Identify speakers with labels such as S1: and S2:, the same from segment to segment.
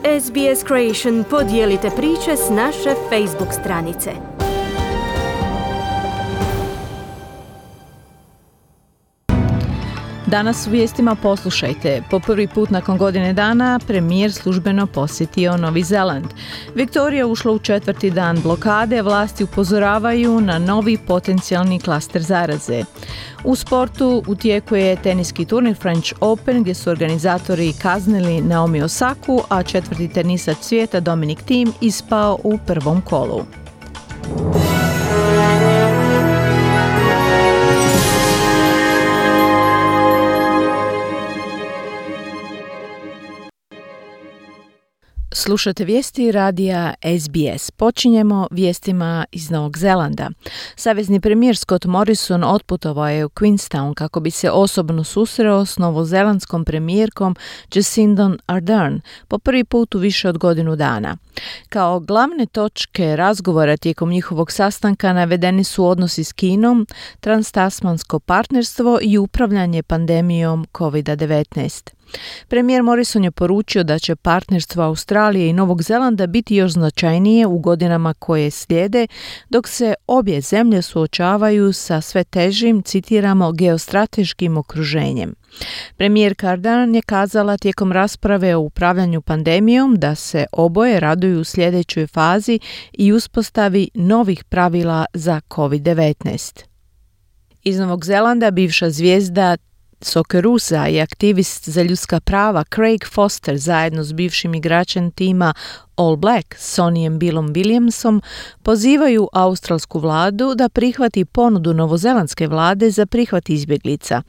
S1: SBS Creation podijelite priče s naše Facebook stranice.
S2: Danas u vijestima poslušajte. Po prvi put nakon godine dana premijer službeno posjetio Novi Zeland. Viktorija ušla u 4. dan blokade, vlasti upozoravaju na novi potencijalni klaster zaraze. U sportu u tijeku je teniski turnir French Open gdje su organizatori kaznili Naomi Osaku, a 4. tenisač svijeta Dominic Thiem ispao u prvom kolu. Slušate vijesti radija SBS. Počinjemo vijestima iz Novog Zelanda. Savezni premijer Scott Morrison otputovao je u Queenstown kako bi se osobno susreo s novozelandskom premijerkom Jacindom Ardern po prvi put u više od godinu dana. Kao glavne točke razgovora tijekom njihovog sastanka navedeni su odnosi s Kinom, transtasmansko partnerstvo i upravljanje pandemijom COVID-19. Premijer Morrison je poručio da će partnerstvo Australije i Novog Zelanda biti još značajnije u godinama koje slijede, dok se obje zemlje suočavaju sa sve težim, citiramo, geostrateškim okruženjem. Premijerka Ardern je kazala tijekom rasprave o upravljanju pandemijom da se oboje raduju u sljedećoj fazi i uspostavi novih pravila za COVID-19. Iz Novog Zelanda bivša zvijezda Soccerusa i aktivist za ljudska prava Craig Foster zajedno s bivšim igračem tima All Black, Sonnyem Billom Williamsom, pozivaju australsku vladu da prihvati ponudu novozelandske vlade za prihvat izbjeglica.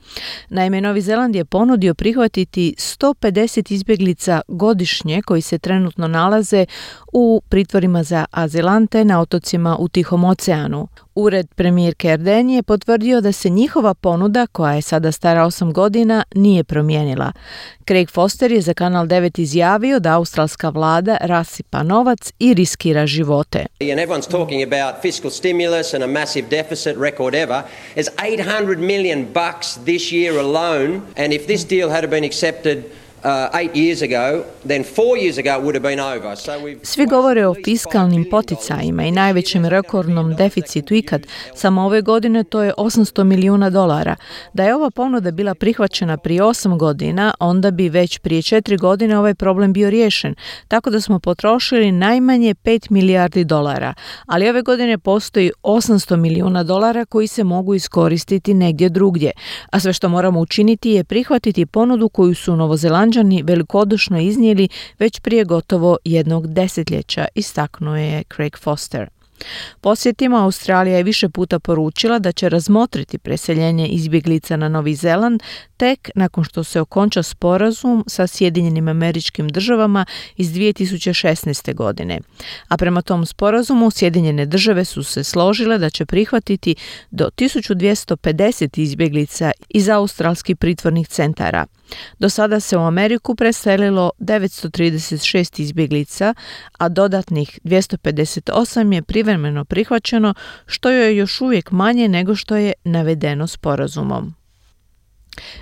S2: Naime, Novi Zeland je ponudio prihvatiti 150 izbjeglica godišnje koji se trenutno nalaze u pritvorima za azilante na otocima u Tihom oceanu. Ured premijerke Ardern je potvrdio da se njihova ponuda, koja je sada stara 8 godina, nije promijenila. Craig Foster je za Kanal 9 izjavio da australska vlada rasipa novac i riskira živote.
S3: And everyone's talking about fiscal stimulus and a massive deficit record ever. There's $800 million this year alone, and if this deal had been accepted 8 years ago, then 4 years ago it would have been over.
S2: Svi govore o fiskalnim poticajima i najvećem rekordnom deficitu ikad. Samo ove godine to je $800 milijuna. Da je ova ponuda bila prihvaćena prije 8 godina, onda bi već prije 4 godine ovaj problem bio riješen. Tako da smo potrošili najmanje $5 milijardi. Ali ove godine postoji $800 milijuna koji se mogu iskoristiti negdje drugdje. A sve što moramo učiniti je prihvatiti ponudu koju su Novozelanđani velikodušno iznijeli već prije gotovo jednog desetljeća, istaknuo je Craig Foster. Podsjetimo, Australija je više puta poručila da će razmotriti preseljenje izbjeglica na Novi Zeland tek nakon što se okonča sporazum sa Sjedinjenim Američkim Državama iz 2016. godine. A prema tom sporazumu Sjedinjene Države su se složile da će prihvatiti do 1250 izbjeglica iz australskih pritvornih centara. Do sada se u Ameriku preselilo 936 izbjeglica, a dodatnih 258 je privremeno prihvaćeno, što je još uvijek manje nego što je navedeno sporazumom.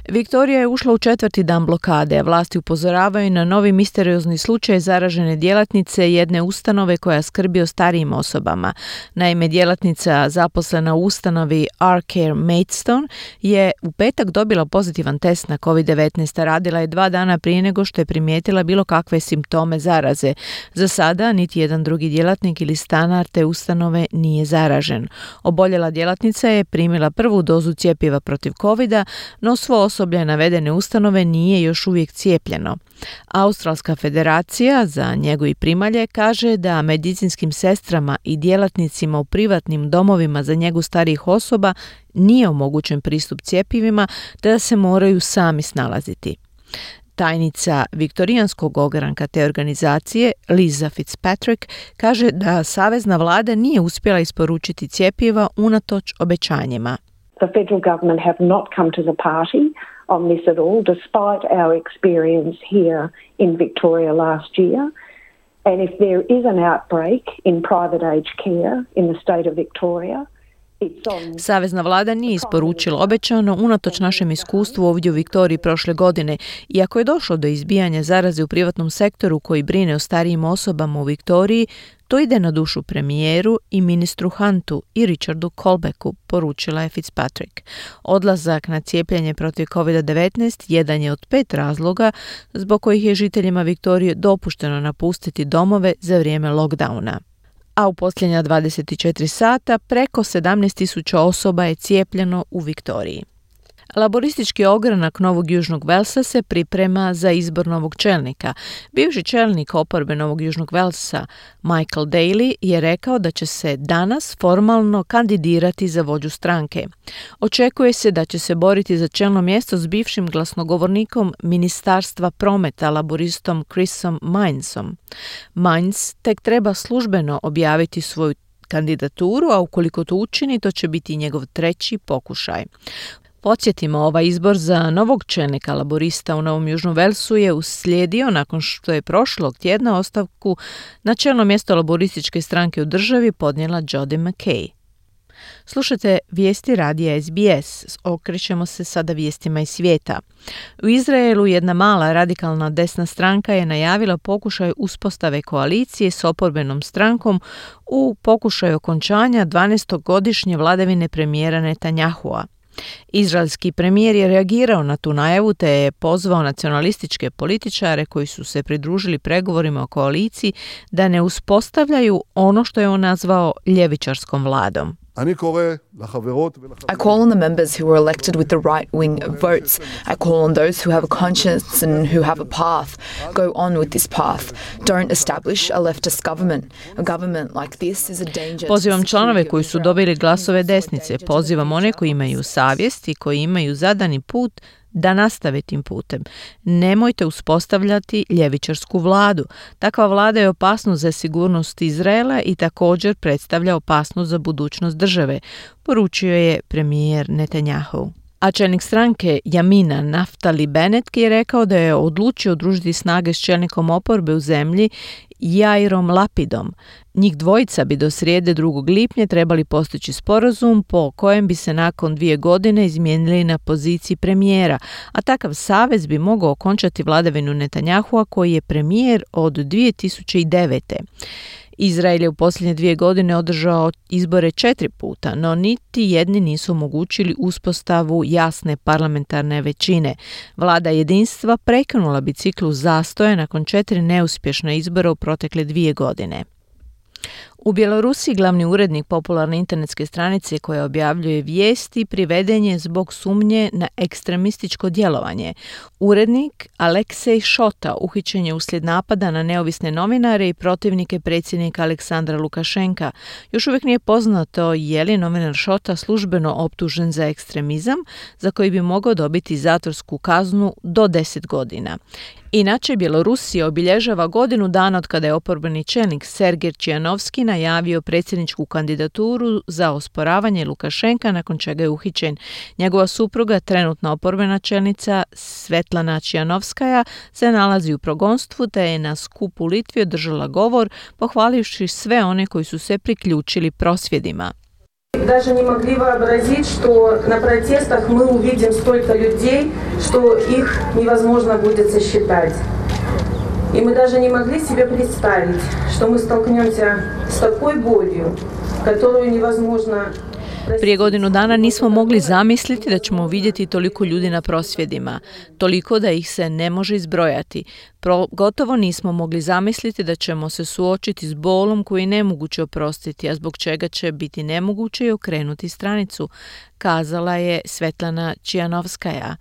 S2: Viktorija je ušla u 4. dan blokade, a vlasti upozoravaju na novi misteriozni slučaj zaražene djelatnice jedne ustanove koja skrbi o starijim osobama. Naime, djelatnica zaposlena u ustanovi R-Care Maidstone je u petak dobila pozitivan test na COVID-19, a radila je 2 dana prije nego što je primijetila bilo kakve simptome zaraze. Za sada niti jedan drugi djelatnik ili stanar te ustanove nije zaražen. Oboljela djelatnica je primila prvu dozu cjepiva protiv COVID-a, no svo osoblje navedene ustanove nije još uvijek cijepljeno. Australska federacija za njegu i primalje kaže da medicinskim sestrama i djelatnicima u privatnim domovima za njegu starijih osoba nije omogućen pristup cjepivima te da se moraju sami snalaziti. Tajnica viktorijanskog ogranka te organizacije, Lisa Fitzpatrick, kaže da savezna vlada nije uspjela isporučiti cjepiva unatoč obećanjima.
S4: The federal government have not come to the party on this at all, despite our experience here in Victoria last year. And if there is an outbreak in private aged care in the state of Victoria,
S2: Savezna vlada nije isporučila obećano unatoč našem iskustvu ovdje u Viktoriji prošle godine. Iako je došlo do izbijanja zaraze u privatnom sektoru koji brine o starijim osobama u Viktoriji, to ide na dušu premijeru i ministru Huntu i Richardu Colbecku, poručila je Fitzpatrick. Odlazak na cijepljenje protiv COVID-19 jedan je od 5 razloga zbog kojih je žiteljima Viktorije dopušteno napustiti domove za vrijeme lockdowna. A u posljednja 24 sata preko 17.000 osoba je cijepljeno u Viktoriji. Laboristički ogranak Novog Južnog Velsa se priprema za izbor novog čelnika. Bivši čelnik oporbe Novog Južnog Velsa, Michael Daly, je rekao da će se danas formalno kandidirati za vođu stranke. Očekuje se da će se boriti za čelno mjesto s bivšim glasnogovornikom Ministarstva prometa laboristom Chrisom Mainsom. Mains tek treba službeno objaviti svoju kandidaturu, a ukoliko to učini, to će biti njegov 3. pokušaj. Podsjetimo, ovaj izbor za novog čelnika laborista u Novom Južnom Velsu je uslijedio nakon što je prošlog tjedna ostavku na čelno mjesto laborističke stranke u državi podnijela Jodi McKay. Slušajte vijesti radija SBS. Okrećemo se sada vijestima iz svijeta. U Izraelu jedna mala radikalna desna stranka je najavila pokušaj uspostave koalicije s oporbenom strankom u pokušaju okončanja 12-godišnje vladavine premijera Netanyahua. Izraelski premijer je reagirao na tu najavu te je pozvao nacionalističke političare koji su se pridružili pregovorima o koaliciji da ne uspostavljaju ono što je on nazvao ljevičarskom vladom.
S5: I call on the members who were elected with the right-wing votes. I call on those who have a conscience and who have a path. Go on with this path. Don't establish a leftist government. A government like this is a danger.
S2: Pozivam članove koji su dobili glasove desnice. Pozivam one koji imaju savjest i koji imaju zadani put da nastave tim putem. Nemojte uspostavljati ljevičarsku vladu. Takva vlada je opasnost za sigurnost Izraela i također predstavlja opasnost za budućnost države, poručio je premijer Netanyahu. A čelnik stranke Jamina Naftali Bennett je rekao da je odlučio udružiti snage s čelnikom oporbe u zemlji Jairom Lapidom. Njih dvojica bi do srijede 2. lipnja trebali postići sporazum po kojem bi se nakon 2 godine izmijenili na poziciji premijera, a takav savez bi mogao okončati vladavinu Netanyahua koji je premijer od 2009. Izrael je u posljednje 2 godine održao izbore 4 puta, no niti jedni nisu omogućili uspostavu jasne parlamentarne većine. Vlada jedinstva prekinula bi ciklus zastoja nakon 4 neuspješna izbora u protekle 2 godine. U Bjelorusiji glavni urednik popularne internetske stranice koja objavljuje vijesti priveden je zbog sumnje na ekstremističko djelovanje. Urednik Aleksej Šota uhićen je uslijed napada na neovisne novinare i protivnike predsjednika Aleksandra Lukašenka. Još uvijek nije poznato je li novinar Šota službeno optužen za ekstremizam, za koji bi mogao dobiti zatvorsku kaznu do 10 godina. Inače, Bjelorusija obilježava godinu dana od kada je oporbeni čelnik Sergej Čijanovski najavio predsjedničku kandidaturu za osporavanje Lukašenka nakon čega je uhićen. Njegova supruga, trenutna oporbena čelnica Svetlana Čijanovskaja, se nalazi u progonstvu te je na skupu u Litvi održala govor pohvalivši sve one koji su se priključili prosvjedima.
S6: Даже не могли вообразить, что на протестах мы увидим столько людей, что их невозможно будет сосчитать. И мы даже не могли себе представить, что мы столкнемся с такой болью, которую невозможно.
S2: Prije godinu dana nismo mogli zamisliti da ćemo vidjeti toliko ljudi na prosvjedima, toliko da ih se ne može izbrojati. Gotovo nismo mogli zamisliti da ćemo se suočiti s bolom koji je nemoguće oprostiti, a zbog čega će biti nemoguće i okrenuti stranicu, kazala je Svetlana Čijanovskaja.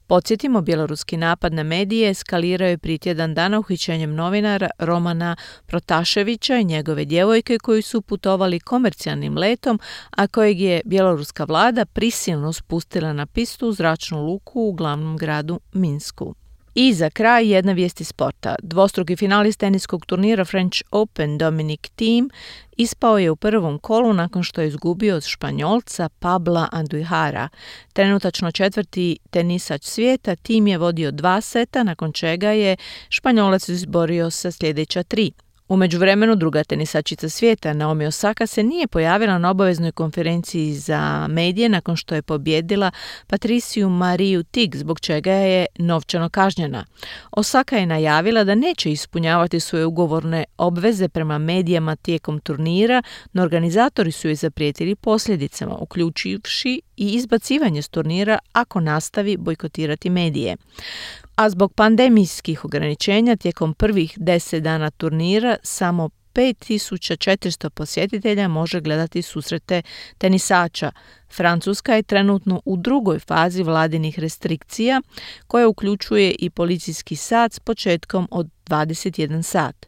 S2: Podsjetimo, bjeloruski napad na medije eskalirao je prije tjedan dana uhićenjem novinara Romana Protaševića i njegove djevojke koji su putovali komercijalnim letom, a kojeg je bjeloruska vlada prisilno spustila na pistu u zračnu luku u glavnom gradu Minsku. I za kraj jedna vijest iz sporta. Dvostruki finalist teniskog turnira French Open Dominic Thiem ispao je u prvom kolu nakon što je izgubio od Španjolca Pabla Andujara. Trenutačno 4. tenisač svijeta, Thiem je vodio 2 seta, nakon čega je Španjolac izborio sa sljedeća 3. U međuvremenu druga tenisačica svijeta Naomi Osaka se nije pojavila na obaveznoj konferenciji za medije nakon što je pobjedila Patriciju Mariju Tig, zbog čega je novčano kažnjena. Osaka je najavila da neće ispunjavati svoje ugovorne obveze prema medijama tijekom turnira, no organizatori su joj zaprijetili posljedicama, uključivši i izbacivanje s turnira ako nastavi bojkotirati medije. A zbog pandemijskih ograničenja tijekom prvih 10 dana turnira samo 5400 posjetitelja može gledati susrete tenisača. Francuska je trenutno u drugoj fazi vladinih restrikcija koja uključuje i policijski sat s početkom od 21 sat.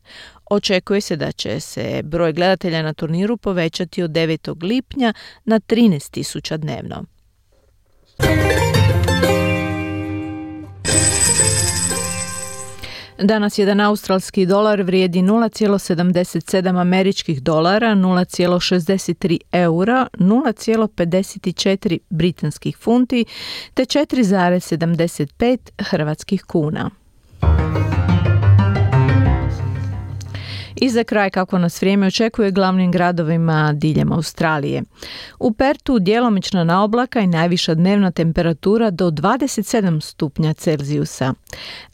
S2: Očekuje se da će se broj gledatelja na turniru povećati od 9. lipnja na 13.000 dnevno. Danas jedan australski dolar vrijedi 0,77 američkih dolara, 0,63 eura, 0,54 britanskih funti te 4,75 hrvatskih kuna. I za kraj kako nas vrijeme očekuje glavnim gradovima diljem Australije. U Pertu djelomična naoblaka i najviša dnevna temperatura do 27 stupnja Celzijusa.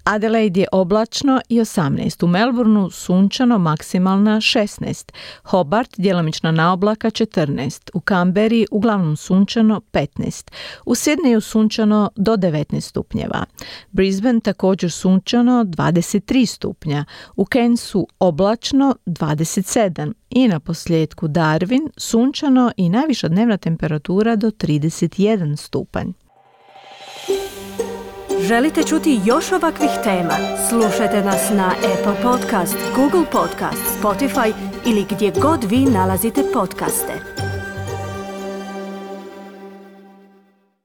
S2: Adelaide je oblačno i 18. U Melbourneu sunčano, maksimalna 16. Hobart djelomična naoblaka 14. U Canberri uglavnom sunčano 15. U Sydneyu sunčano do 19 stupnjeva. Brisbane također sunčano 23 stupnja. U Cairnsu oblačno 27. I na posljedku Darwin sunčano i najviša dnevna temperatura do 31 stupanj.
S1: Želite čuti još ovakvih tema? Slušajte nas na Apple Podcast, Google Podcast, Spotify ili gdje god vi nalazite podcaste.